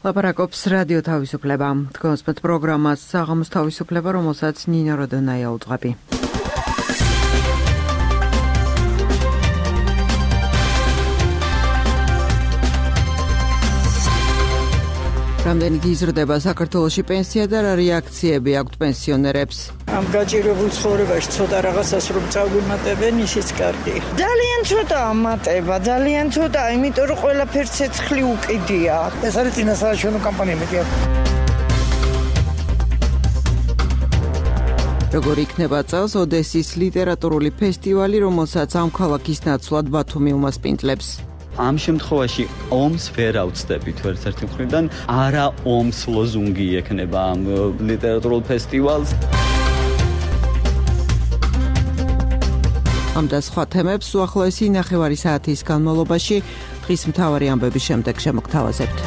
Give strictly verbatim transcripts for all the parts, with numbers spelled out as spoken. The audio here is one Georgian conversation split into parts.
ლაპარაკობს რადიო თავისუფლება. თქვენს პროგრამას საღამოს თავისუფლება, რომელსაც ნინო როდონაია უძღვები. რამდენი იზრდება საქართველოში პენსია და რა რეაქციები აქვთ პენსიონერებს? ამ გაჭირებულ ცხოვრებაში ცოტა რაღაცას რომ წავიმატებენ, ისიც კარგი. ძალიან ცოტა ამატება, ძალიან ცოტა, იმიტომ რომ ყველაფერს ცეცხლი უკიდია. ეს არის წინასაარჩევნო კამპანია მეტია. როგორ იქნება წელს ოდესის ლიტერატურული ფესტივალი, რომელსაც ამ ქალაქის ნაცვლად ბათუმი უმასპინძლებს? ამ შემთხვევაში ომს ვერ ავწდებით ერთ-ერთი მხრიდან, არა ომს ლოზუნგი ექნება ამ ლიტერატურულ ფესტივალს. ამ და სხვა თემებს უახლოესი ნახევარი საათის განმავლობაში დღის მთავარი ამბების შემდეგ შემოგთავაზებთ.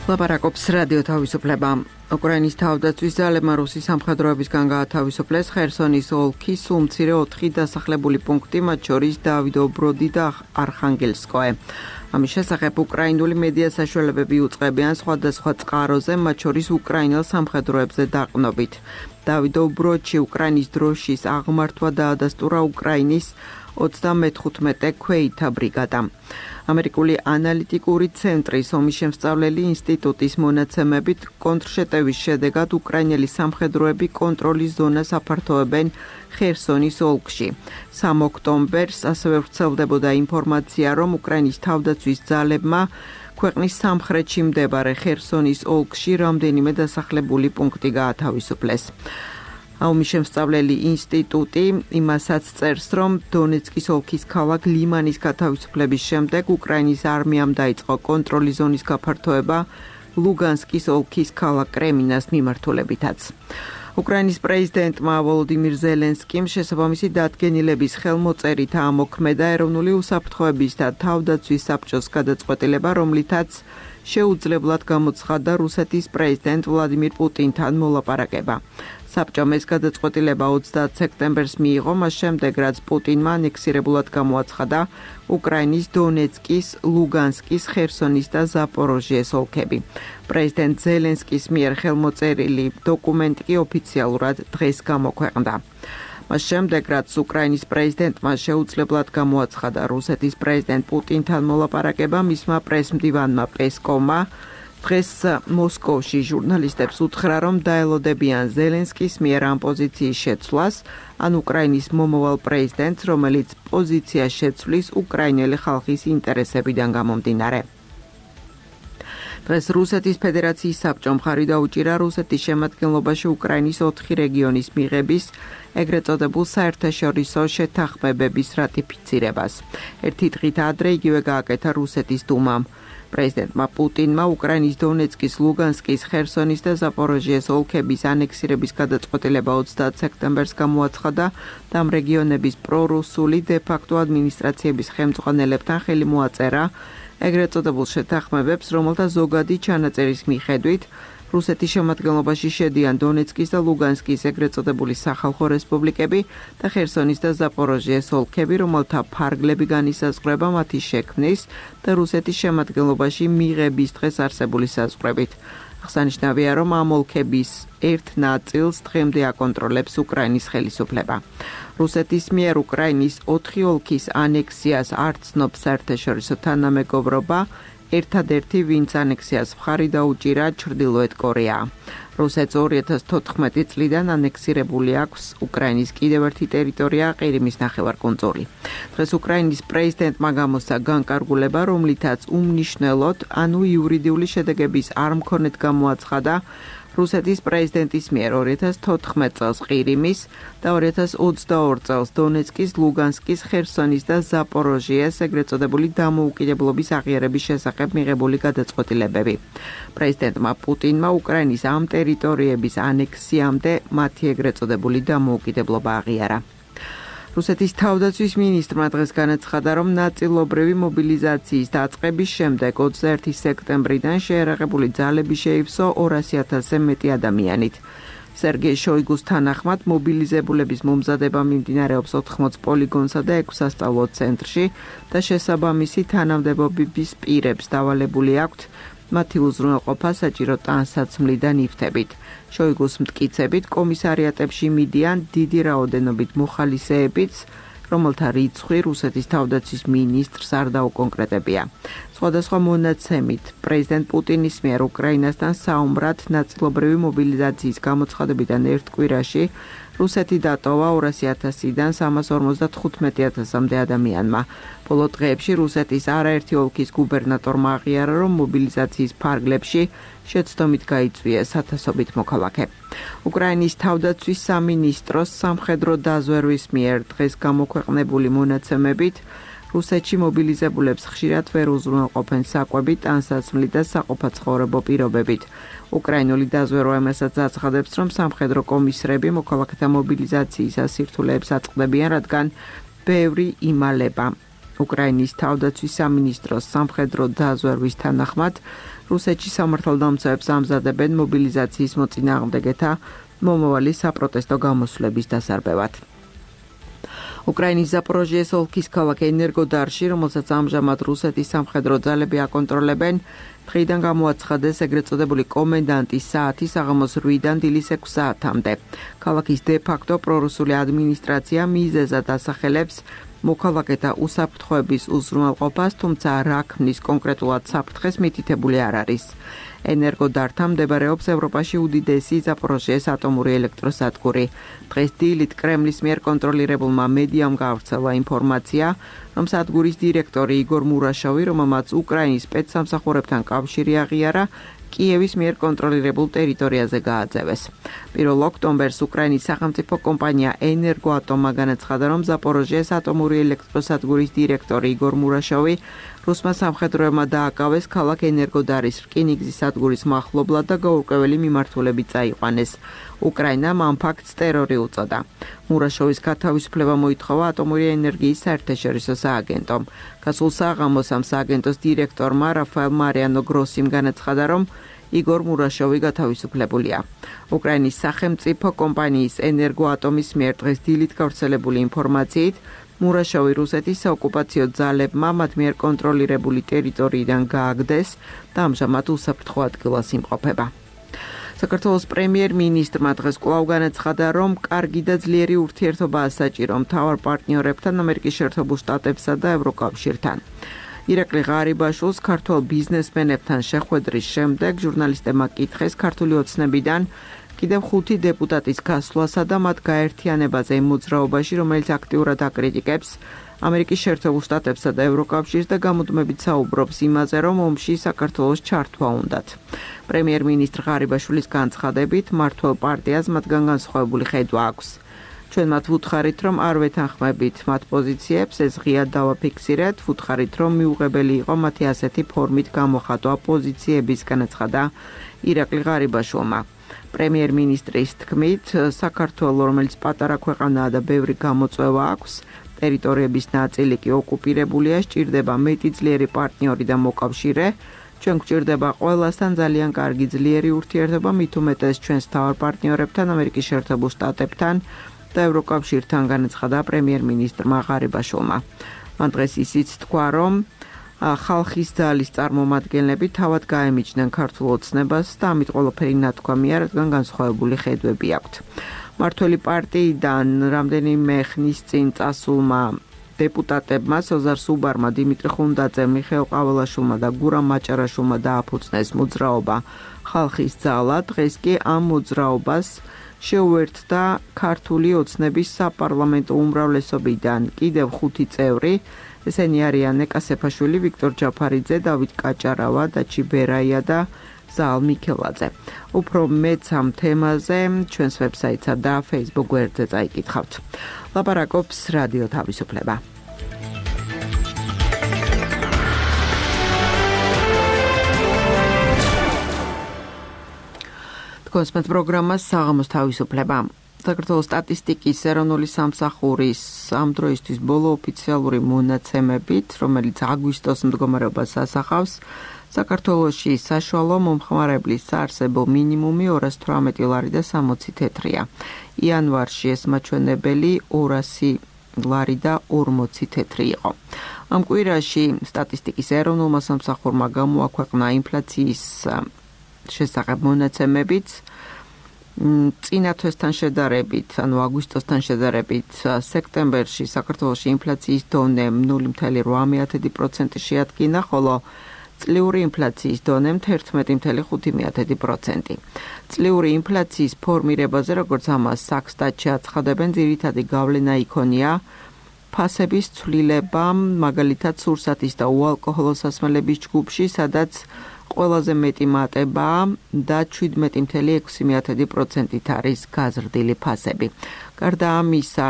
ლაპარაკობს რადიო თავისუფლება. უკრაინის თავდაცვის ძალებმა რუსის სამხედროებისგან გაათავისუფლეს ხერსონის ოლქის სულ მცირე ოთხი დასახლებული პუნქტი, მათ შორის დავიდობროდი და არხანგელსკოე. ამის შესახებ უკრაინული მედია საშუალებები უწყებიან სხვადასხვა წყაროზე, მათ შორის უკრაინელ სამხედროებზე დაყრდნობით. დავიდობროდში უკრაინის დროშის აღმართვა დაადასტურა უკრაინის ოცდამეხუთმეტე ქვეითთა ბრიგადა. ამერიკული ანალიტიკური ცენტრის ომის შემსწავლელი ინსტიტუტის მონაცემებით კონტრშეტევის შედეგად უკრაინელი სამხედროები კონტროლის ზონას აფართოებენ ხერსონის ოლქში. სამი ოქტომბერს ასევე ვრცელდებოდა ინფორმაცია, რომ უკრაინის თავდაცვის ძალებმა ქვეყნის სამხრეთში მდებარე ხერსონის ოლქში რამდენიმე დასახლებული პუნქტი გაათავისუფლეს. ომის შემსწავლელი ინსტიტუტი იმასაც წერს, რომ დონეცკის ოლქის ქალაქ ლიმანის გათავისუფლების შემდეგ უკრაინის არმიამ დაიწყო კონტროლის ზონის გაფართოება ლუგანსკის ოლქის ქალაქ კრემინას მიმართულებითაც. უკრაინის პრეზიდენტმა ვოლოდიმირ ზელენსკიმ შესაბამისი დადგენილების ხელმოწერით ამოქმედა ეროვნული უსაფრთხოების და თავდაცვის საბჭოს გადაწყვეტილება, რომლითაც შეუძლებლად გამოცხადდა რუსეთის პრეზიდენტ ვლადიმირ პუტინთან მოლაპარაკება. საბჭომ ეს გადაწყვეტილება ოცდაათ სექტემბერს მიიღო, მას შემდეგ რაც პუტინმა ანექსირებულად გამოაცხადა უკრაინის დონეცკის, ლუგანსკის, ხერსონის და ზაპოროჟიეს ოლქები. პრეზიდენტ ზელენსკის მიერ ხელმოწერილი დოკუმენტი კი ოფიციალურად დღეს გამოქვეყნდა. მას შემდეგ რაც უკრაინის პრეზიდენტმა შეუძლებლად გამოაცხადა რუსეთის პრეზიდენტ პუტინთან მოლაპარაკება, მისმა პრესმდივანმა პესკოვმა დღეს მოსკოვში ჟურნალისტებს უთხრა, რომ დაელოდებიან ზელენსკის მიერ ამ პოზიციის შეცვლას, ან უკრაინის მომავალ პრეზიდენტს, რომელიც პოზიციას შეცვლის უკრაინელი ხალხის ინტერესებიდან გამომდინარე. დღეს რუსეთის ფედერაციის საბჭომ მხარი დაუჭირა რუსეთის შემადგენლობაში უკრაინის ოთხი რეგიონის მიღების, ეგრეთ წოდებულ საერთაშორისო შეთანხმებების რატიფიცირებას. ერთი დღით ადრე იგივე გააკეთა რუსეთის დუმამ. პრეზიდენტმა პუტინმა უკრაინის დონეცკის, ლუგანსკის, ხერსონის და ზაპოროჟიეს ოლქების ანექსირების გადაწყვეტილება ოცდაათ სექტემბერს გამოაცხადა და ამ რეგიონების პრორუსული დე-ფაქტო ადმინისტრაციების ხელმძღვანელებთან ხელი მოაწერა ეგრეთ წოდებულ შეთანხმებებს, რომელთა ზოგადი ჩანაწერის მიხედვით რუსეთის შემადგენლობაში შედიან დონეცკის და ლუგანსკის ეგრეთ წოდებული სახალხო რესპუბლიკები და ხერსონის და ზაპოროჟიეს ოლქები, რომელთა ფარგლები განისაზღვრება მათი შექმნის და რუსეთის შემადგენლობაში მიღების დღეს არსებული საზღვრებით. აღსანიშნავია, რომ ამ ოლქების ერთ ნაწილს დღემდე აკონტროლებს უკრაინის ხელისუფლება. რუსეთის მიერ უკრაინის ოთხი ოლქის ანექსიას არ ცნობს საერთაშორისო თანამეგობრობა, ერთადერთი, ვინც ანექსიას მხარი დაუჭირა, ჩრდილოეთ კორეაა. რუსეთს ორი ათას თოთხმეტი წლიდან ანექსირებული აქვს უკრაინის კიდევ ერთი ტერიტორია, ყირიმის ნახევარკუნძული. დღეს უკრაინის პრეზიდენტმა გამოსცა განკარგულება, რომლითაც უმნიშვნელოდ, ანუ იურიდიული შედეგების არ მქონედ გამოაცხადა რუსეთის პრეზიდენტის მიერ ორი ათას თოთხმეტ წელს ყირიმის და ორი ათას ოცდაორი წელს დონეცკის, ლუგანსკის, ხერსონის და ზაპოროჟიეს ეგრეთ წოდებული დამოუკიდებლობის აღიარების შესახებ მიღებული გადაწყვეტილებები. პრეზიდენტმა პუტინმა უკრაინის ამ ტერიტორიების ანექსიამდე მათი ეგრეთ წოდებული დამოუკიდებლობა აღიარა. რუსეთის თავდაცვის მინისტრმა დღეს განაცხადა, რომ ნაწილობრივი მობილიზაციის დაწყების შემდეგ ოცდაერთი სექტემბრიდან შეერაღებული ძალები შეივსო ორასი ათასზე მეტი ადამიანით. სერგეი შოიგუს თანახმად მობილიზებულების მომზადება მიმდინარეობს ოთხმოც პოლიგონსა და ექვს სასწავლო ცენტრში და შესაბამისი თანამდებობების პირებს დავალებული აქვთ მათი უზრუნველყოფა საჭირო ტანსაცმლი და ნივთებით. შოიგუს მტკიცებით კომისარიატებში მიდიან დიდი რაოდენობით მოხალისეებიც, რომელთა რიცხვი რუსეთის თავდაცვის მინისტრს არ დაუკონკრეტებია. სხვადასხვა მონაცემით პრეზიდენტ პუტინის მიერ უკრაინასთან საომრად ნაწილობრივი მობილიზაციის გამოცხადებიდან ერთ კვირაში რუსეთი დატოვა ორასი ათასიდან სამას ორმოცდათხუთმეტი ათასამდე ადამიანმა. ბოლო დღეებში რუსეთის არაერთი ოლქის გუბერნატორმა აღიარა, რომ მობილიზაციის ფარგლებში შეცდომით გაიწვიეს ათასობით მოქალაქე. უკრაინის თავდაცვის სამინისტროს სამხედრო დაზვერვის მიერ დღეს გამოქვეყნებული მონაცემებით რუსეთში მობილიზებულებს ხშირად ვერ უზრუნველყოფენ საკვები, ტანსაცმლი და საყოფაცხოვრებო პირობებით. უკრაინული დაზვერვა იმასაც აცხადებს, რომ სამხედრო კომისრები მოქალაქეთა მობილიზაციის ასირთულეებს აწყდებიან, რადგან ბევრი იმალება. უკრაინის თავდაცვის სამინისტროს სამხედრო დაზვერვის თანახმად რუსეთში სამართალდამცავებს ამზადებენ მობილიზაციის მოწინააღმდეგეთა მომავალი საპროტესტო გამოსვლების დასარბევად. უკრაინის ზაპოროჟიეს ოლქის ქალაქ ენერგოდარში, რომელსაც ამჟამად რუსეთის სამხედრო ძალები აკონტროლებენ, დღეიდან გამოაცხადეს ეგრეთ წოდებული კომენდანტის საათი საღამოს რვიდან დილის ექვს საათამდე. ქალაქის დე-ფაქტო პრორუსული ადმინისტრაცია მიზეზად ასახელებს მოქალაქეთა უსაფრთხოების უზრუნველყოფას, თუმცა რა ქმნის კონკრეტულად საფრთხეს მითითებული არ არის. ენერგოდართან მდებარეობს ევროპაში უდიდესი ზაპოროჟიეს ატომური ელექტროსადგური. დღეს დილით კრემლის მიერ კონტროლირებულმა მედიამ გავრცელა ინფორმაცია, რომ სადგურის დირექტორი იგორ მურაშოვი, რომელმაც უკრაინის სპეცსამსახურებთან კავშირი აღიარა, კიევის მიერ კონტროლირებულ ტერიტორიაზე გააძევეს. პირველ ოქტომბერს უკრაინის სახელმწიფო კომპანია ენერგოატომა განაცხადა, რომ ზაპოროჟიეს ატომური ელექტროსადგურის დირექტორი იგორ მურაშოვი რუსმა სამხედროებმა დააკავეს ქალაქ ენერგოდარის რკინიგზის სადგურის მახლობლად და გაურკვეველი მიმართულებით წაიყვანეს. უკრაინამ ამ ფაქტს ტერორი უწოდა. მურაშოვის გათავისუფლება მოითხოვა ატომური ენერგიის საერთაშორისო სააგენტომ. გასულ საღამოს ამ სააგენტოს დირექტორმა რაფაელ მარიანო გროსიმ განაცხადა, რომ იგორ მურაშოვი გათავისუფლებულია. უკრაინის სახელმწიფო კომპანიის ენერგოატომის მიერ დღეს დილით გავრცელებული ინფორმაციით, მურაშოვი რუსეთის საოკუპაციო ძალებმა მათ მიერ კონტროლირებული ტერიტორიიდან გააგდეს და ამჟამად უსაფრთხო ადგილას იმყოფება. საქართველოს პრემიერ-მინისტრმა დღეს კვლავ განაცხადა, რომ კარგი და ძლიერი ურთიერთობაა საჭირო მთავარ პარტნიორებთან, ამერიკის შეერთებულ შტატებსა და ევროკავშირთან. ირაკლი ღარიბაშვილს ქართველ ბიზნესმენებთან შეხვედრის შემდეგ ჟურნალისტებმა კითხეს ქართული ოცნებიდან კიდევ ხუთი დეპუტატის გასვლასა და მათ გაერთიანებაზე იმ მოძრაობაში, რომელიც აქტიურად აკრიტიკებს ამერიკის შეერთებულ შტატებსა და ევროკავშირს და გამუდმებით საუბრობს იმაზე, რომ ომში საქართველოს ჩართვა უნდათ. პრემიერ-მინისტრ ღარიბაშვილის განცხადებით, მმართველ პარტიას მათგან განსხვავებული ხედვა აქვს. ჩვენ მათ ვუთხარით, რომ არ ვეთანხმებით მათ პოზიციებს, ეს ღიად დავაფიქსირეთ, ვუთხარით, რომ მიუღებელი იყო მათი ასეთი ფორმით გამოხატვა პოზიციების, განაცხადა ირაკლი ღარიბაშვილმა. პრემიერ-მინისტრის თქმით, საქართველო, რომელიც პატარა ქვეყანაა და ბევრი გამოწვევა აქვს, ტერიტორიების ნაწილი კი ოკუპირებულია, სჭირდება მეტი ძლიერი პარტნიორი და მოკავშირე. ჩვენ გვჭირდება ყველასთან ძალიან კარგი ძლიერი ურთიერთობა, მით უმეტეს ჩვენს მთავარ პარტნიორებთან, ამერიკის შეერთებულ შტატებთან და ევროკავშირთან, განაცხადა პრემიერ-მინისტრმა ღარიბაშვილმა. მან დღეს ისიც თქვა, რომ ხალხის ძალის წარმომადგენლები თავად გაემიჯნენ ქართულ ოცნებას და ამით ყველაფერი ნათქვამია, რადგან განსხვავებული ხედვები აქვთ. მმართველი პარტიიდან რამდენიმე ხნის წინ წასულმა დეპუტატებმა სოზარ სუბარმა, დიმიტრი ხუნდაძემ, მიხეილ ყაველაშვილმა და გურამ მაჭარაშვილმა დააფუძნეს მოძრაობა ხალხის ძალა. დღეს კი ამ მოძრაობას შეუერთდა ქართული ოცნების საპარლამენტო უმრავლესობიდან კიდევ ხუთი წევრი. ესენი არიან ნეკა სეფაშვილი, ვიქტორ ჯაფარიძე, დავით კაჭარავა, დაჩი ბერაია და ზაალ მიქელაძე. უფრო მეც ამ თემაზე ჩვენს ვებსაიტსა და Facebook გვერდზე წაიკითხავთ. ლაპარაკობს რადიო თავისუფლება. თქვენს პროგრამას საღამოს თავისუფლება. საქართველოს სტატისტიკის ეროვნული სამსახურის ამ დროისთვის ბოლო ოფიციალური მონაცემებით, რომელიც აგვისტოს მდგომარეობას ასახავს, საქართველოში საშუალო მომხმარებლის საარსებო მინიმუმი ორას თვრამეტი ლარი და სამოცი თეთრია. იანვარში ეს მაჩვენებელი ორასი ლარი და ორმოცი თეთრი იყო. ამ კვირაში სტატისტიკის ეროვნულმა სამსახურმა გამოაქვეყნა ინფლაციის შესახებ მონაცემებიც, წინა თვესთან შედარებით, ანუ აგვისტოსთან შედარებით, სექტემბერში საქართველოში ინფლაციის დონე ნული ათეული ოთხ პროცენტი შეადგინა, ხოლო წლიური ინფლაციის დონე ერთმეტი ათეული ხუთი პროცენტი. წლიური ინფლაციის ფორმირებაზე, როგორც ამას საქსტატში აცხადებენ, ძირითადი გავლენა იქონია ფასების ცვლილება, მაგალითად სურსათის და უალკოჰოლო სასმელების ჯგუფში, სადაც ყველაზე მეტი მატება და შვიდმეტი ათეული ექვსი პროცენტით არის გაზრდილი ფასები. გარდა ამისა,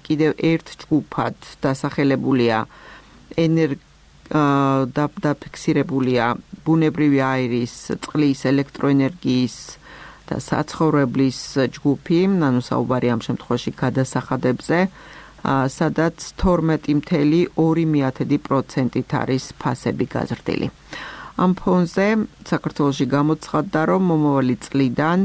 კიდევ ერთ ჯგუფად დასახელებულია ენერგია და დაფიქსირებულია ბუნებრივი აირის, წყლის, ელექტროენერგიის და საცხოვრებლის ჯგუფი, ანუ საუბარი ამ შემთხვევაში გადასახადებზე, სადაც თორმეტი ათეული ორი პროცენტით არის ფასები გაზრდილი. ამ ფონზე საქართველოში გამოცხადდა, რომ მომავალი წლიდან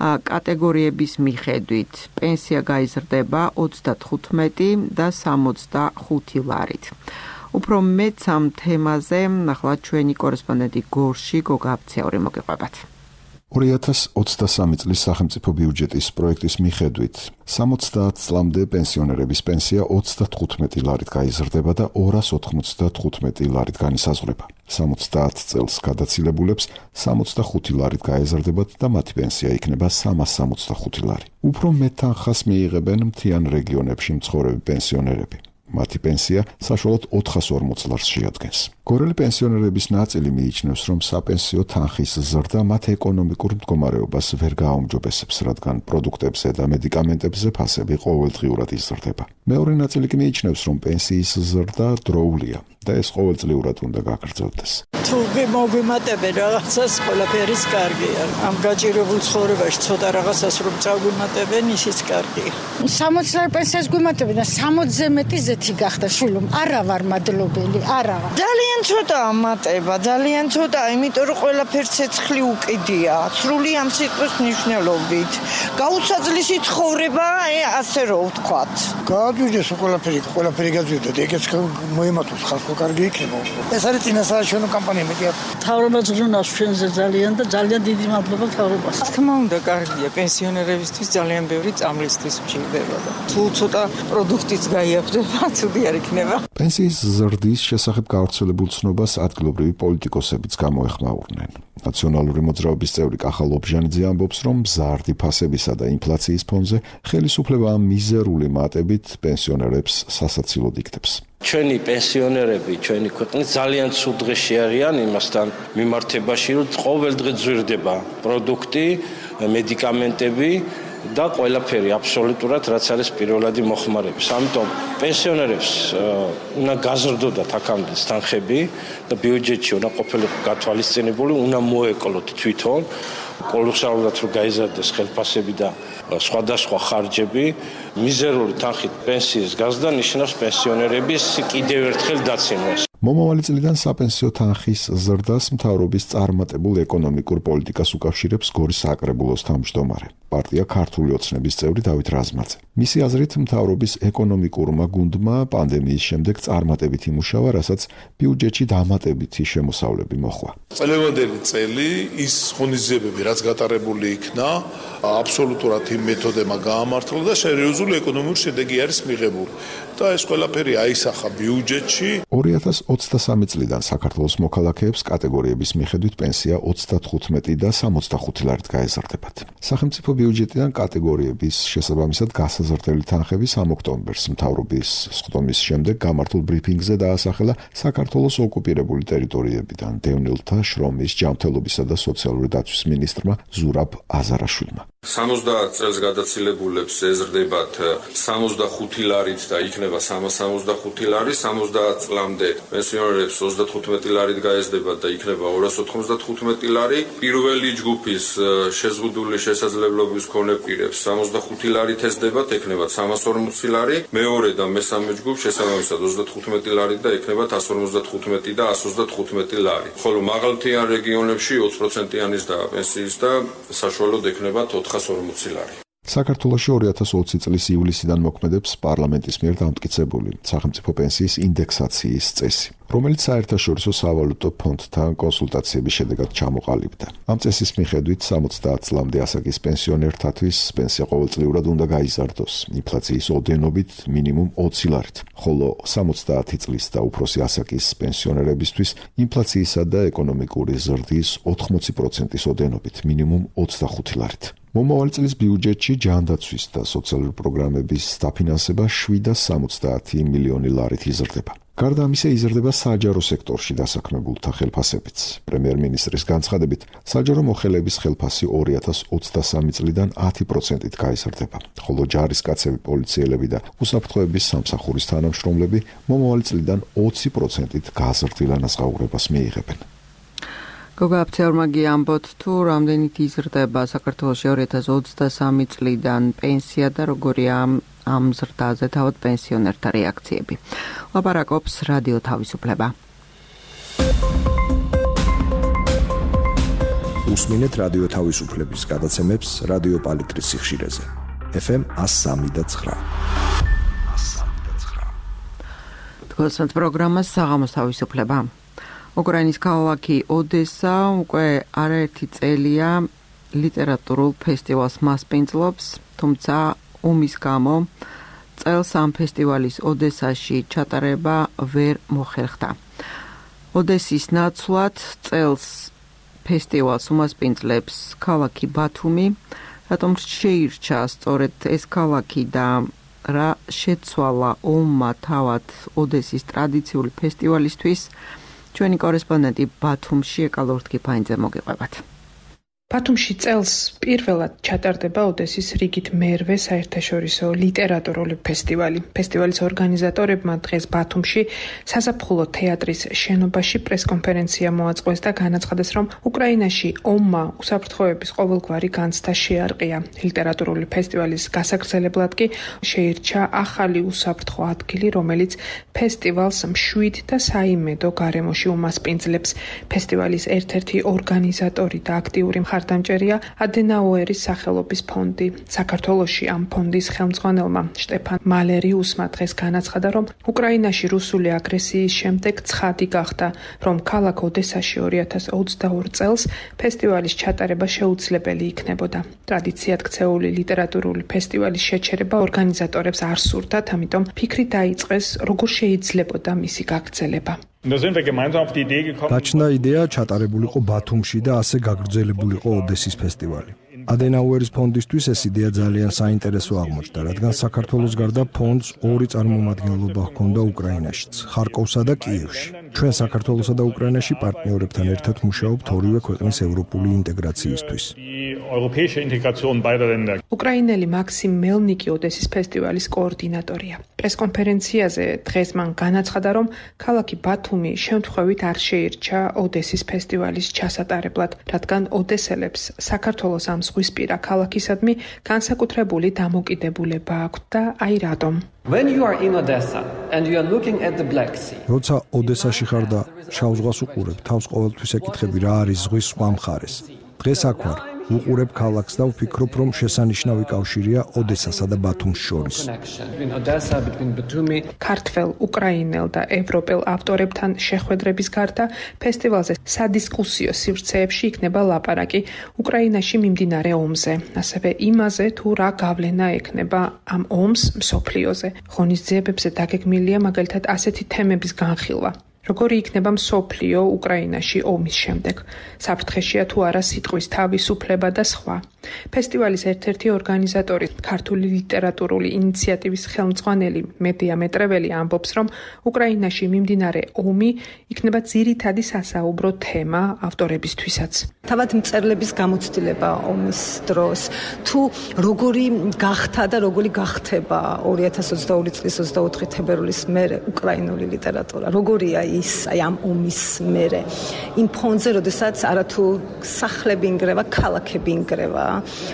კატეგორიების მიხედვით პენსია გაიზრდება ოცდათხუთმეტი და სამოცდახუთი ლარით. უფრო მეც ამ თემაზე ახლა ჩვენი კორესპონდენტი გორში გოგა აფციური მოგიყვებათ. ორი ათას ოცდასამი წლის სახელმწიფო ბიუჯეტის პროექტის მიხედვით სამოცდაათ წლამდე პენსიონერების პენსია ოცდათხუთმეტი ლარით გაიზრდება და ორას ოთხმოცდათხუთმეტი ლარით განისაზღვრება. სამოცდაათ წელს გადაცილებულებს სამოცდახუთი ლარით გაეზრდებათ და მათი პენსია იქნება სამას სამოცდახუთი ლარი. უფრო მეტ თანხას მიიღებენ მთიან რეგიონებში მცხოვრები პენსიონერები. მათი პენსია საშუალოდ ოთხას ორმოც ლარს შეადგენს. გორელი პენსიონერების ნაწილი მიიჩნევს, რომ საპენსიო თანხის ზრდა მათ ეკონომიკურ მდგომარეობას ვერ გააუმჯობესებს, რადგან პროდუქტებზე და მედიკამენტებზე ფასები ყოველდღიურად იზრდება. მეორე ნაწილი კი მიიჩნევს, რომ პენსიის ზრდა დროულია და ეს ყოველწლიურად უნდა გაგრძელდეს. თუ მოგვიმატებენ რაღაცას, ყველაფერიც კარგია. ამ გაჭირებულ ცხოვრებაში ცოტა რაღაცას რომ წაგვიმატებენ, ისიც კარგია. სამოცი ლარი პენსიას გვიმატებენ და სამოცზე მეტი ზეთი გახდა შვილო. არა ვარ მადლობელი, არა. ძალიან ცოტა ამატება, ძალიან ცოტა, იმიტომ რომ ყველაფერს ცეცხლი უკიდია. სრული ამ სიტყვის მნიშვნელობით. გაუსაძლისი ცხოვრება, ასე რომ ვთქვათ. გააძვიდეს ყველაფერი, ყველაფერი გაძვიდა და ეგეც მოემატოს ხალხო კარგი იქნება. ეს არის წინასაარჩევნო კამპანია, მეტი არ. თავრობას გზნავს ჩვენზე ძალიან და ძალიან დიდი მადლობა თავრობას. თქმა უნდა, კარგია პენსიონერებისთვის ძალიან ბევრი წამლისთვის მჭირდება და თუ ცოტა პროდუქტიც გაიაფდება, ცუდი არ იქნება. პენსიის ზრდის შესახებ გავრცელებულ ცნობას ადგილობრივი პოლიტიკოსებიც გამოეხმაურნენ. ნაციონალური მოძრაობის წევრი კახა ლობჟანიძე ამბობს, რომ მზარდი ფასებისა და ინფლაციის ფონზე ხელისუფლება მიზერული მატებით პენსიონერებს სასაცილოდ იქნებს. ჩვენი პენსიონერები, ჩვენი ქვეყნის ძალიან ცუდ დღეში არიან იმასთან მიმართებაში, რომ ყოველდღე ძვირდება პროდუქტი, მედიკამენტები და ყველაფერი აბსოლუტურად რაც არის პირველადი მოხმარების. ამიტომ პენსიონერებს უნდა გაზრდოდათ აქამდე თანხები და ბიუჯეტში უნდა ყოფილიყო გათვალისწინებული, უნდა მოეკლოთ თვითონ კოლოსალურად რომ გაიზარდეს ხელფასები და სხვადასხვა ხარჯები. მიზერული თანხით პენსიის გაზრდა ნიშნავს პენსიონერების კიდევ ერთხელ დაცინვას. მომავალი წლიდან საპენსიო თანხის ზრდას მთავრობის წარმატებულ ეკონომიკურ პოლიტიკას უკავშირებს გორის საკრებულოს თავმჯდომარე, პარტია ქართული ოცნების წევრი დავით რაზმაძე. მისი აზრით, მთავრობის ეკონომიკურმა გუნდმა პანდემიის შემდეგ წარმატებით იმუშავა, რასაც ბიუჯეტში დამატებითი შემოსავლები მოჰყვა. წლევანდელი წელი ის ღონისძიებები, რაც გატარებული იქნა, აბსოლუტურად იმ მეთოდებმა გაამართლა და სერიოზული ეკონომიკური შედეგი არის მიღებული. და ეს ყველაფერი აისახა ბიუჯეტში. ორი ათას ოცდასამი წლიდან საქართველოს მოქალაქეებს კატეგორიების მიხედვით პენსია ოცდათხუთმეტი და სამოცდახუთი ლარით გაეზრდებათ. სახელმწიფო ბიუჯეტიდან კატეგორიების შესაბამისად გასაზრდელი თანხები სამ ოქტომბერს მთავრობის სხდომის შემდეგ გამართულ ბრიფინგზე დაასახელა საქართველოს ოკუპირებული ტერიტორიებიდან დევნილთა შრომის, ჯანმრთელობისა და სოციალური დაცვის მინისტრმა ზურაბ აზარაშვილმა. სამოცდაათ წელს გადაცილებულებს ეზრდებათ სამოცდახუთი ლარით და იქნება სამას სამოცდახუთი ლარი, სამოცდაათ წლამდე პენსიონერებს ოცდათხუთმეტი ლარით გაეზრდებათ და იქნება ორას ოთხმოცდათხუთმეტი ლარი. პირველი ჯგუფის შეზღუდული შესაძლებლობის მქონე პირებს სამოცდახუთი ლარით ეზრდებათ, ექნებათ სამას ორმოცი ლარი, მეორე და მესამე ჯგუფ შესაბამისად ოცდათხუთმეტი ლარით და ექნებათ ასას ორმოცდათხუთმეტი და ასას ოცდათხუთმეტი ლარი. ხოლო მაღალმთიან რეგიონებში ოც პროცენტიანის და პენსიის და საშუალოდ ექნებათ ოთხას ორმოცი ლარი. საქართველოში ორი ათას ოცი წლის ივლისიდან მოქმედებს პარლამენტის მიერ დამტკიცებული სახელმწიფო პენსიის ინდექსაციის წესი, რომელიც საერთაშორისო სავალუტო ფონდთან კონსულტაციების შედეგად ჩამოყალიბდა. ამ წესის მიხედვით სამოცდაათ წლამდე ასაკის პენსიონერთათვის პენსია ყოველწლიურად უნდა გაიზარდოს ინფლაციის ოდენობით მინიმუმ ოცი ლარით, ხოლო სამოცდაათი წლის და უფროსი ასაკის პენსიონერებისთვის ინფლაციისა და ეკონომიკური ზრდის ოთხმოცი პროცენტის ოდენობით მინიმუმ ოცდახუთი ლარით. მომავალი წლის ბიუჯეტში ჯანდაცვის და სოციალური პროგრამების დაფინანსება შვიდას სამოცდაათი მილიონი ლარით იზრდება. გარდა ამისა იზრდება საჯარო სექტორში დასაქმებულთა ხელფასებიც. პრემიერ-მინისტრის განცხადებით, საჯარო მოხელეების ხელფასი ორი ათას ოცდასამი წლიდან ათი პროცენტით გაიზრდება, ხოლო ჯარისკაცები, პოლიციელები და უსაფრთხოების სამსახურის თანამშრომლები მომავალი წლიდან ოცი პროცენტით გაზრდილ ანაზღაურებას მიიღებენ. გოგა აფცეურმაგი ამბობთ თუ რამდენით იზრდება საქართველოში ორი ათას ოცდასამი წლიდან პენსია და როგორია ამ ზრდაზე თავად პენსიონერთა რეაქციები. ლაპარაკობს რადიო თავისუფლება. უსმინეთ რადიო თავისუფლების გადაცემებს რადიო პალიტრის სიხშირეზე. ეფ ემ ას სამი და ცხრა. თქვენს პროგრამას საღამოს თავისუფლება. უკრაინის ქალაქი ოდესა უკვე არაერთი წელია ლიტერატურულ ფესტივალს მასპინძლობს, თუმცა ომის გამო წელს ამ ფესტივალის ოდესაში ჩატარება ვერ მოხერხდა. ოდესის ნაცვლად წელს ფესტივალს უმასპინძლებს ქალაქი ბათუმი, რატომ შეირჩა სწორედ ეს ქალაქი და რა შეცვალა ომმა თავად ოდესის ტრადიციული ფესტივალისთვის. ჩვენი კორესპონდენტი ბათუმში ეკალორთკი ფაინძე მოგიყვებათ. ბათუმში წელს პირველად ჩატარდება ოდესის რიგით მერვე საერთაშორისო ლიტერატურული ფესტივალი. ფესტივალის ორგანიზატორებმა დღეს ბათუმში საზაფხულო თეატრის შენობაში პრესკონფერენცია მოაწყვეს და განაცხადეს, რომ უკრაინაში ომმა უსაფრთხოების ყოველგვარი განცდა შეარყია. ლიტერატურული ფესტივალის გასაგრძელებლად კი შეირჩა ახალი უსაფრთხო ადგილი, რომელიც ფესტივალს მშვიდ და საიმედო გარემოში უმასპინძლებს. ფესტივალის ერთ-ერთი ორგანიზატორი და აქტიური ხარდამჭერია ადენაუერის სახელობის ფონდი. საქართველოში ამ ფონდის ხელმძღვანელმა შტეფან მალერიუსმა დღეს განაცხადა, რომ უკრაინაში რუსული აგრესიის შემდეგ ცხადი გახდა, რომ ქალაქ ოდესაში ორი ათას ოცდაორი წელს ფესტივალის ჩატარება შეუძლებელი იქნებოდა. ტრადიციად ქცეული ლიტერატურული ფესტივალის შეჩერება ორგანიზატორებს არ სურდათ, ამიტომ ფიქრი დაიწყეს, როგორ შეიძლებოდა მისი გაგრძელება. დაჩნდა იდეა ჩატარებულიყო ბათუმში და ასე გაგრძელებულიყო ოდესის ფესტივალი. ადენაუერის ფონდისთვის ეს იდეა ძალიან საინტერესო აღმოჩნდა, რადგან საქართველოს გარდა ფონდს ორი წარმომადგენლობა ჰქონდა უკრაინაშიც, ხარკოვსა და კიევში. ჩვენ საქართველოსა და უკრაინაში პარტნიორებთან ერთად მუშაობთ ორივე ქვეყნის ევროპული ინტეგრაციისთვის. უკრაინელი მაქსიმ მელნიკი ოდესის ფესტივალის კოორდინატორია. პრესკონფერენციაზე დღეს მან განაცხადა, რომ ქალაქი ბათუმი შემთხვევით არ შეირჩა ოდესის ფესტივალის ჩასატარებლად, რადგან ოდესელებს საქართველოს ამ ზღვისპირა ქალაქისადმი განსაკუთრებული დამოკიდებულება აქვთ და აი რატომ. როცა ოდესაში ხარ და შავ ზღვას უყურებ, თავს ყოველთვის ეკითხები რა არის ზღვის სხვა მხარეს. დღეს აქ ვარ, უყურებ ქალაქს და ვფიქრობ, რომ შესანიშნავი კავშირია ოდესასა და ბათუმს შორის. ქართველ, უკრაინელ და ევროპელ ავტორებთან შეხვედრების გარდა ფესტივალზე სადისკუსიო სივრცეებში იქნება ლაპარაკი უკრაინაში მიმდინარე ომზე, ასევე იმაზე, თუ რა გავლენა ექნება ამ ომს მსოფლიოზე. ღონისძიებებზე დაგეგმილია მაგალითად ასეთი თემების განხილვა. როგორი იქნება მსოფლიო უკრაინაში ომის შემდეგ, საფრთხეშია თუ არა სიტყვის თავისუფლება და სხვა. ფესტივალის ერთ-ერთი ორგანიზატორი, ქართული ლიტერატურული ინიციატივის ხელმძღვანელი მედია მეტრეველი ამბობს, რომ უკრაინაში მიმდინარე ომი იქნება ძირითადი სასაუბრო თემა ავტორებისთვისაც. თავად მწერლების გამოცდილება ომის დროს, თუ როგორი გახდა და როგორი გახდება ორი ათას ოცდაორი წლის ოცდაოთხი თებერვლის მერე უკრაინული ლიტერატურა, როგორია ის აი ამ ომის მერე, იმ ფონზე, როდესაც არათუ სახლები ინგრევა, ქალაქები ინგრევა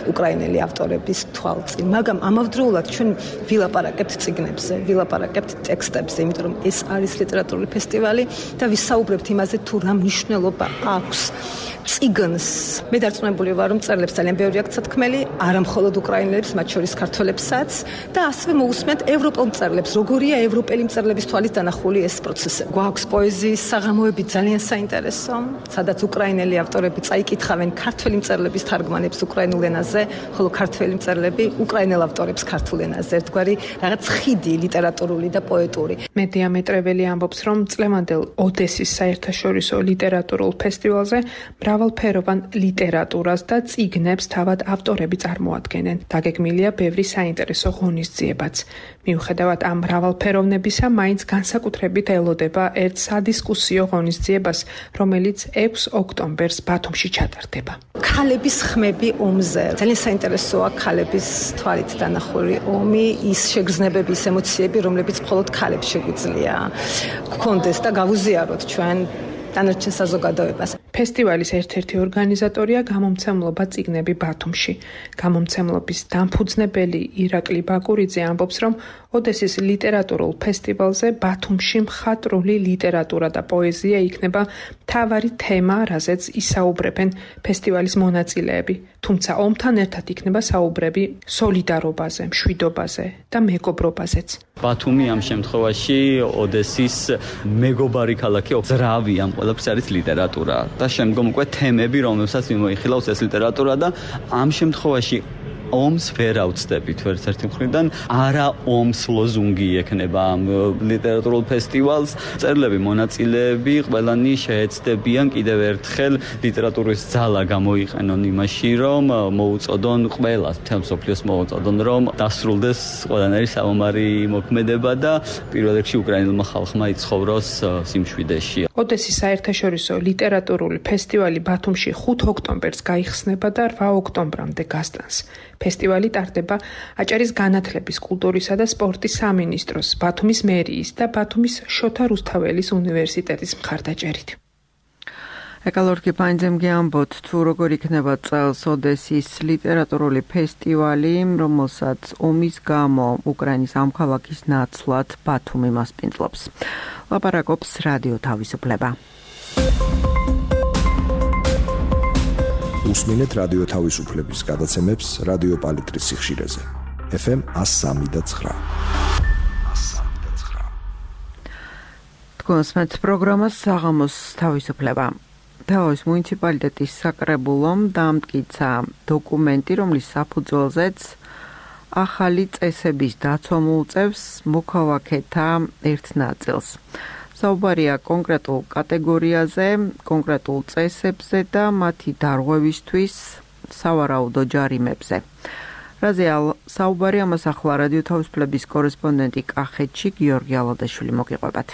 უკრაინელი ავტორების თვალწინ, მაგრამ ამავდროულად ჩვენ ვილაპარაკებთ წიგნებზე, ვილაპარაკებთ ტექსტებზე, იმიტომ რომ ეს არის ლიტერატურული ფესტივალი და ვისაუბრებთ იმაზე, თუ რა მნიშვნელობა აქვს წიგნს. მე დარწმუნებული ვარ, რომ მწერლებს ძალიან ბევრი აქვს სათქმელი, არა მხოლოდ უკრაინელებს, მათ შორის ქართველებსაც და ასევე მოусმენთ ევროპელ მწერლებს, როგორია ევროპელი მწერლების თვალით დანახული ეს პროცესი. გვაქვს პოეზიის საღამოები ძალიან საინტერესო, სადაც უკრაინელი ავტორები წაიკითხავენ ქართველი მწერლების თარგმანებს უკრაინულ ენაზე, ხოლო ქართველი მწერლები უკრაინელ ავტორებს ქართულ ენაზე. ერთგვარი რაღაც ხიდი ლიტერატურული და პოეტური. მედია მეტრეველი ამბობს, რომ წლევანდელ ოდესის საერთაშორისო ლიტერატურულ ფესტივალზე მრავალფეროვან ლიტერატურას და წიგნებს თავად ავტორები წარმოადგენენ. დაგეგმილია ბევრი საინტერესო ღონისძიებაც. მიუხედავად ამ მრავალფეროვნებისა, მაინც განსაკუთრებით ელოდება ერთ სადისკუსიო ღონისძიებას, რომელიც ექვსი ოქტომბერს ბათუმში ჩატარდება. ქალების ხმები ომზე. ძალიან საინტერესოა ქალების თვალით დანახული ომი, ის შეგრძნებები, ის ემოციები, რომლებიც მხოლოდ ქალებს შეგვიძლია გქონდეს და გავუზიაროთ ჩვენ დანარჩენ საზოგადოებას. ფესტივალის ერთ-ერთი ორგანიზატორია გამომცემლობა წიგნები ბათუმში. გამომცემლობის დამფუძნებელი ირაკლი ბაკურიძე ამბობს, რომ ოდესის ლიტერატურულ ფესტივალზე ბათუმში მხატვრული ლიტერატურა და პოეზია იქნება მთავარი თემა, რაზეც ისაუბრებენ ფესტივალის მონაწილეები. თუმცა ომთან ერთად იქნება საუბრები სოლიდარობაზე, მშვიდობაზე და მეგობრობაზეც. ბათუმი ამ შემთხვევაში ოდესის მეგობარი ქალაქი, ძრავი ამ ყველაფერს არის ლიტერატურა და შემდგომ უკვე თემები, რომელსაც მიმოიხილავს ეს ლიტერატურა და ამ შემთხვევაში ომს ვერ ავწდებით ერთ-ერთი მხრიდან, არა ომს ლოზუნგი ექნება ამ ლიტერატურულ ფესტივალს. მწერლები, მონაწილეები ყველანი შეეცდებიან კიდევ ერთხელ ლიტერატურის ძალა გამოიყენონ იმაში, რომ მოუწოდონ ყველას, მთელ მსოფლიოს მოუწოდონ, რომ დასრულდეს ყველანაირი საომარი მოქმედება და პირველ რიგში უკრაინელმა ხალხმა იცხოვროს სიმშვიდეში. ოდესის საერთაშორისო ლიტერატურული ფესტივალი ბათუმში ხუთი ოქტომბერს გაიხსნება და რვა ოქტომბრამდე გასტანს. ფესტივალი ტარდება აჭარის განათლების, კულტურისა და სპორტის სამინისტროს, ბათუმის მერიის და ბათუმის შოთა რუსთაველის უნივერსიტეტის მხარდაჭერით. ეკალორკი პაინძემ გიამბოთ, თუ როგორ იქნება წელს ოდესის ლიტერატურული ფესტივალი, რომელსაც ომის გამო უკრაინის ამ ქალაქის ნაცვლად ბათუმი მასპინძლობს. ლაპარაკობს რადიო თავისუფლება. უსმინეთ რადიო თავისუფლების გადაცემებს რადიო პალიტრის სიხშირეზე. ეფ ემ εκατო სამი და ცხრა. თქვენს პროგრამას საღამოს თავისუფლება. თაოს მუნიციპალიტეტის საკრებულომ დამტკიცა დოკუმენტი, რომლის საფუძველზეც ახალი წესების დაცვა მოუწევს მოქალაქეთა ერთ ნაწილს. საუბარია კონკრეტულ კატეგორიაზე, კონკრეტულ წესებზე და მათი დარღვევისთვის სავარაუდო ჯარიმებზე. რაზეა საუბარი ამას ახლა რადიო თავისუფლების კორესპონდენტი კახეთში გიორგი ალადაშვილი მოგიყვებათ.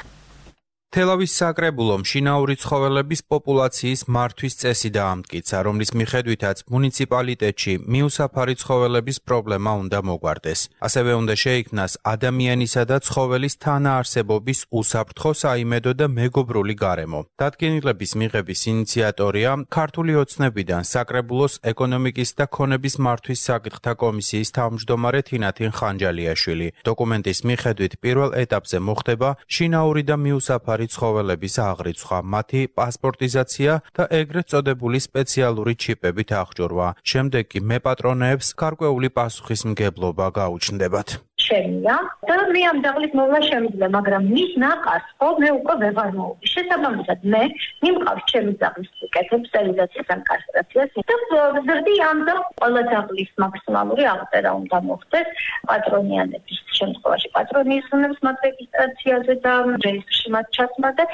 თელავის საკრებულომ შინაური ცხოველების პოპულაციის მართვის წესი დაამტკიცა, რომლის მიხედვითაც მუნიციპალიტეტში მიუსაფარი ცხოველების პრობლემა უნდა მოგვარდეს. ასევე უნდა შეიქმნას ადამიანისა და ცხოველის თანაარსებობის უსაფრთხო, საიმედო და მეგობრული გარემო. დადგენილების მიღების ინიციატორია ქართული ოცნებიდან საკრებულოს ეკონომიკის და ქონების მართვის საკითხთა კომისიის თავმჯდომარე თინათინ ხანჯალიაშვილი. დოკუმენტის მიხედვით პირველ ეტაპზე მოხდება შინაური და მიუსაფარი ცხოველების აღრიცხვა, მათი პასპორტიზაცია და ეგრეთ წოდებული სპეციალური ჩიპებით აღჭურვა. შემდეგ კი მეპატრონეებს გარკვეული პასუხისმგებლობა გაუჩნდებათ. შემია და მე ამ დაღლის მოვლა შემიძლია, მაგრამ მის ნაყარს ხო მე უკვე ვეღარ მოვდი. შესაბამისად მე მიმყავს ჩემი დაღლის კეთებს სტერილიზაციას ან კასტრაციას და ვზრდი ამ და ყველა დაღლის მაქსიმალური აღწერა უნდა მოხდეს პატრონიანების შემთხვევაში პატრონიზმებს მათ რეგისტრაციაზე და რეესტრში მათ ჩასმა და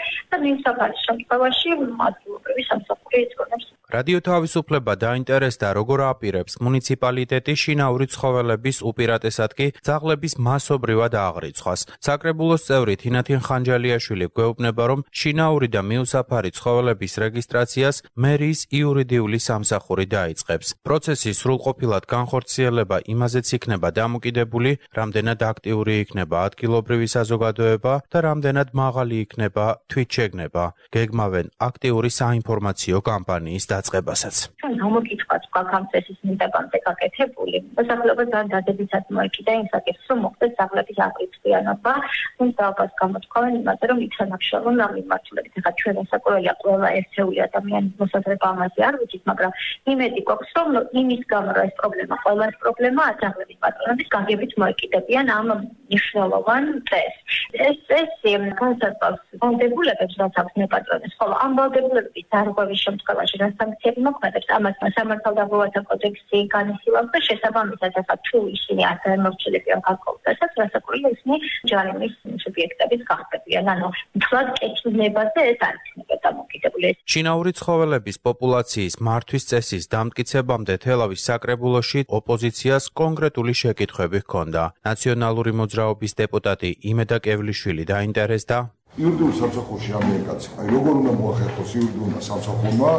მიმსაფარის შემთხვევაში ადგილობრივი სამსახური ეწონებს. რადიო თავისუფლება დაინტერესდა, როგორ აპირებს მუნიციპალიტეტი შინაური ცხოველების, უპირატესად კი ძაღლების მასობრივად აღრიცხვას. საკრებულოს წევრი თინათინ ხანჯალიაშვილი გვეუბნება, რომ შინაური და მიუსაფარი ცხოველების რეგისტრაციას მერიის იურიდიული სამსახური დაიწყებს. პროცესის სრულყოფილად განხორციელება იმაზეც იქნება დამოკიდებული, რამდენად აქტიური იქნება ადგილობრივი საზოგადოება და რამდენად მაღალი იქნება თვითშეგნება. გეგმავენ აქტიური საინფორმაციო კამპანიის დაწყებასაც. ჩვენ გამოკითხვაც გვაქვს ამ წესის მიტაკამდე გაკეთებული. მოსახლეობას დადებითად მოეკიდა იმ საკითხს, რომ მოხდეს ძაღლების აღრიცხვიანობა, თუმცა დაობას გამოთქვამენ იმაზე, რომ იქნებშალონ ამ მიმართულებით. ეხლა ჩვენ ასაკურველია ყველა ერთეული ადამიანის მოსაზრება ამაზე არ ვიცით, მაგრამ იმედი გვაქვს, რომ იმის გამო რა ეს პრობლემა, ყველას პრობლემაა ძაღლების პატრონების გაგებით მოეკიდებიან ამ მნიშვნელოვან წესს. ეს წესი განსაზღვრავს ვალდებულებებს, რაც აქვს მეპატრონეს, ხოლო ამ ვალდებულებების დარღვევის შემთხვევაში რა სანქციები მოქმედებს, ამას სამართალდამოვართა კოდექსი განიხილავს და შესაბამისად ახლა თუ ისინი არ გამორჩილებიან გარკვეულ წესებს, რასაკვირველია ისინი ჯარიმის სუბიექტების გახდებიან. ანუ მთლად კეთილნებაზე ეს არ იქნება დამოკიდებული. შინაური ცხოველების პოპულაციის მართვის წესის დამტკიცებამდე თელავის საკრებულოში ოპოზიციას კონკრეტული შეკითხვები ჰქონდა. ნაციონალური მოძრაობის დეპუტატი იმედა კევლიშვილი დაინტერესდა იურიდიულ სამსახურში ამიერკაცი. აი როგორ უნდა მოახერხოს იურიდიულმა სამსახურმა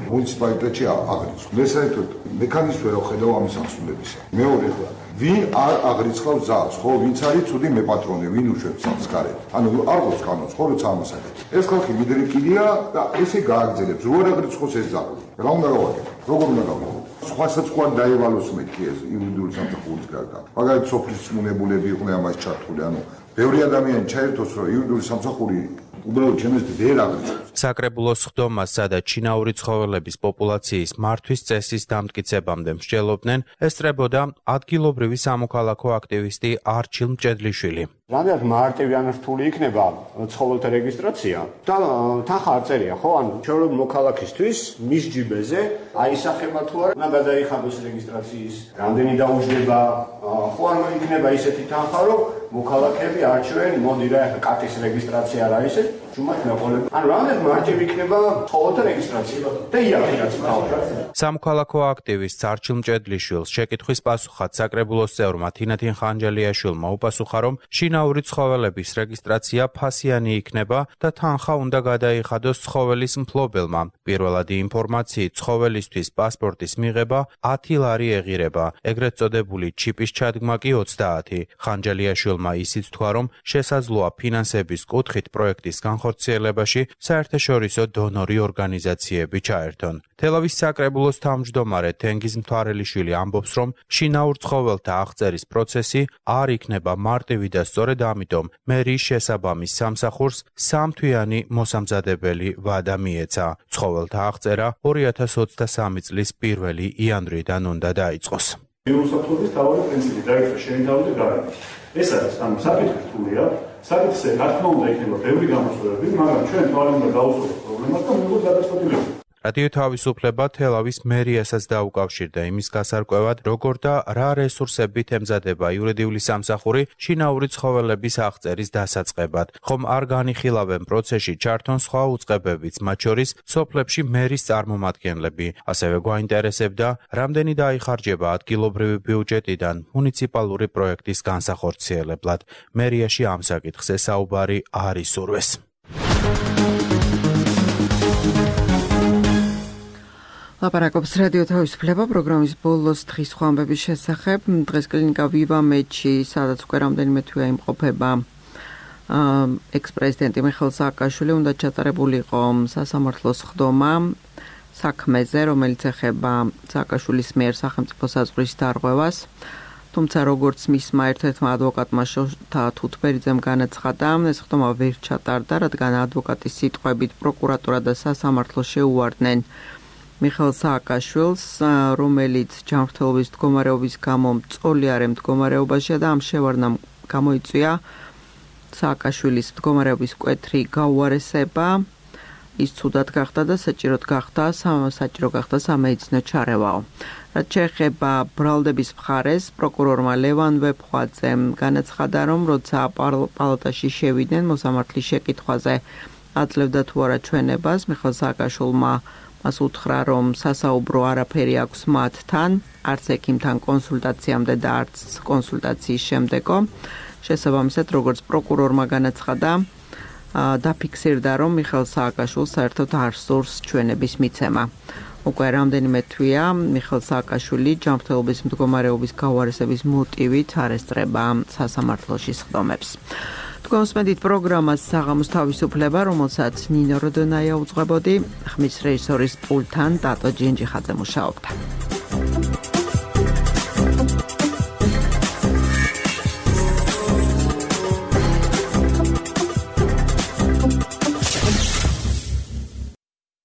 მუნიციპალიტეტში აღრიცხვა. მესაერთოდ მექანიზმი ვერ ხედავ ამის აღსრულებისა. მეორე ხა ვინ არ აღრიცხავს ძაღლს, ხო, ვინც არის ცუდი მეპატრონე, ვინ უშვებს ძაღლს გარეთ. ანუ არ გვაქვს კანონს, ხო, როცა ამას აკეთებს. ეს ხალხი მიდრეკილია და ესე გააგრძელებს. რო არ აღრიცხოს ეს ძაღლი. რა უნდა გავაკეთო? როგორ უნდა გავაკეთო? სხვასაც ყوان დაევალოს მეთქი ეს იურიდიული სამსახურის გარდა. მაგალითად სოფლის წმუნებულები იყვნენ ამას ჩართული, ანუ ბევრი ადამიანი ჩაერთოს, რომ იურიდიული სამსახური უბრალოდ ჩემს ვერ აღრიცხავს. საკრებულოს ხდომას, სადაც შინაური ცხოველების პოპულაციის მართვის წესის დამტკიცებამდე მსჯელობდნენ, ესწრებოდა ადგილობრივი სამოქალაქო აქტივისტი არჩილ მჭედლიშვილი. რამდენად მარტივი ან რთული იქნება ცხოველთა რეგისტრაცია და თანხა არ წერია, ხო? ანუ ჩვეულებრივ მოქალაქისთვის მის ჯიბეზე აისახება თუ არა უნდა გადაიხადოს რეგისტრაციის რამდენი დაუჯდება, ხო არ იქნება ისეთი თანხა, რომ მოქალაქეები არჩევენ, მოდი რა, ეხლა კატის რეგისტრაცია რა ისე, ჯუმად მეყოლები. ანუ რამდენად მარტივი იქნება ცხოველთა რეგისტრაცია და იარაღიც თავად. სამოქალაქო აქტივისტ არჩილ მჭედლიშვილს შეკითხვის პასუხად საკრებულოს წევრმა თინათინ ხანჯალიაშვილმა უპასუხა, რომ შინაური ცხოველების რეგისტრაცია ფასიანი იქნება და თანხა უნდა გადაიხადოს ცხოველის მფლობელმა. პირველადი ინფორმაციით ცხოველისთვის პასპორტის მიღება ათი ლარი ეღირება, ეგრეთ წოდებული ჩიპის ჩადგმა კი ოცდაათი. ხანჯალიაშვილმა ისიც თქვა, რომ შესაძლოა ფინანსების კუთხით პროექტის განხორციელებაში საერთაშორისო დონორი ორგანიზაციები ჩაერთონ. თელავის საკრებულოს თავმჯდომარე თენგიზ მთვარელიშვილი ამბობს, რომ შინაურ ცხოველთა აღწერის პროცესი არ იქნება მარტივი და სწორედ ამიტომ მერიის შესაბამის სამსახურს სამთვიანი მოსამზადებელი ვადა მიეცა. ცხოველთა აღწერა ორი ათას ოცდასამი წლის პირველი იანვრიდან უნდა დაიწყოს. მიუსაფრთხოების თავი პრინციპი დაიწყო შეინთავდა გარანტი. ეს არის ამ საკითხი რთულია. საკითხზე რა თქმა უნდა იქნება ბევრი გამოსვლები, მაგრამ ჩვენ თვალე უნდა გავუსწროთ პრობლემას და მივიღოთ გადაწყვეტილება. რადიო თავისუფლება თელავის მერიასაც დაუკავშირდა იმის გასარკვევად, როგორ და რა რესურსებით ემზადება იურიდიული სამსახური შინაური ცხოველების აღწერის დასაწყებად. ხომ არ განიხილავენ პროცესში ჩართონ სხვა უწყებებიც, მათ შორის სოფლებში მერის წარმომადგენლები. ასევე გვაინტერესებდა, რამდენი დაიხარჯება ადგილობრივი ბიუჯეტიდან მუნიციპალური პროექტის განსახორციელებლად. მერიაში ამ საკითხზე საუბარი არ ისურვეს. ლაპარაკობს რადიო თავისუფლება პროგრამის ბოლოს დღის ხვამბების შესახებ. დღეს კლინიკა ვივა მეჩი, სადაც უკვე რამდენიმე თვეა იმყოფება ექს-პრეზიდენტი მიხეილ სააკაშვილი, უნდა ჩატარებულიყო სასამართლოს ხდომა საქმეზე, რომელიც ეხება სააკაშვილის მიერ სახელმწიფო საზღვრის დარღვევას. თუმცა როგორც მისმა ერთ-ერთმა ადვოკატმა შოთა თუთბერიძემ განაცხადა, ეს ხდომა ვერ ჩატარდა, რადგან ადვოკატის სიტყვებით პროკურატურა და სასამართლო შეუვარდნენ მიხეილ სააკაშვილს, რომელიც ჯანმრთელობის მდგომარეობის გამო მწოლიარე მდგომარეობაშია და ამ შევარდნამ გამოიწვია სააკაშვილის მდგომარეობის მკვეთრი გაუარესება. ის ცუდად გახდა და საჭიროდ გახდა საჭირო გახდა სამედიცინო ჩარევაო. რაც შეეხება ბრალდების მხარეს, პროკურორმა ლევან ვეფხვაძემ განაცხადა, რომ როცა პალატაში შევიდნენ მოსამართლის შეკითხვაზე აძლევდა თუ არა ჩვენებას, მიხეილ სააკაშვილმა მას უთხრა, რომ სასაუბრო არაფერი აქვს მათთან, არც ექიმთან კონსულტაციამდე და არც კონსულტაციის შემდეგო. შესაბამისად, როგორც პროკურორმა განაცხადა, დაფიქსირდა, რომ მიხეილ სააკაშვილს საერთოდ არ სურს ჩვენების მიცემა. უკვე რამდენიმე თვეა მიხეილ სააკაშვილი ჯანმრთელობის მდგომარეობის გავარესების მოტივით არ ესწრება სასამართლოში სხდომებს. თქვენ უსმენთ პროგრამას საღამოს თავისუფლება, რომელსაც ნინო როდონაია უძღვებოდი, ხმის რეჟისორის პულტთან ტატო ჯინჯიხაძე მუშაობდა.